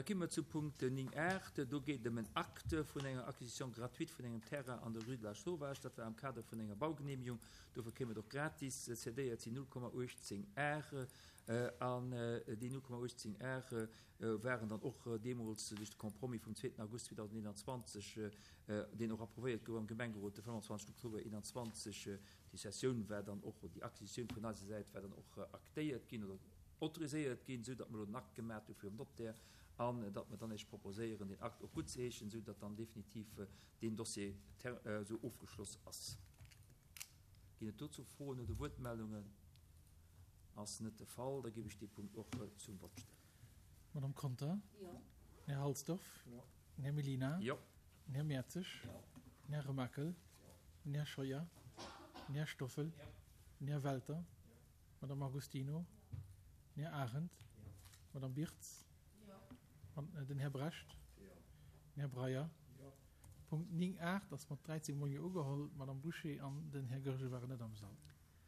Da gi mer zu Punkt 9 art. Do geet et ëm en Acte vun enger Acquisition gratuite vun engem Terrain an der Rue de la Sauvage. Dat war am Kader vun enger Baugenehmigung. Dofir kéim et och gratis. Cédéiert sinn 0,18 Ar. An déi 0,18 Ar waren dann och deemools duerch de Compromis vum zweeten August 2021, deen och approuvéiert gouf am Gemengerot de 25 Oktober 2021, déi Cessioun war dann och, oder déi Acquisitioun vun eiser Säit war dann och aktéiert ginn oder autoriséiert ginn, esou datt mer elo den Akt gemat hu virum Notaire an datt mer dann Iech proposéieren, deen Akt och guttzeheeschen, esou datt dann definitiv deen Dossier esou ofgeschloss ass. Ginn et dozou Froen oder Wuertmeldungen? Ass net de Fall. Da géif ech dee Punkt och zum Vott stellen. Madame Conter? Jo. Den Här Halsdorf? Jo. Den Här Mellina? Jo. Den Här Mertzig? Jo. Den Här Remakel? Jo. Den Här Scheuer? Jo. Den Här Stoffel? Jo. Den Här Welter? Jo. Madame Agostino? Den Här Arendt? Jo. Madame Birtz? Jo. Den Här Brecht? Jo. Den Här Breyer? Jo. Punkt 9 art ass mat 13 mol Jo ugeholl. D'Madame Bouché an den Här Goergen waren net am Sall.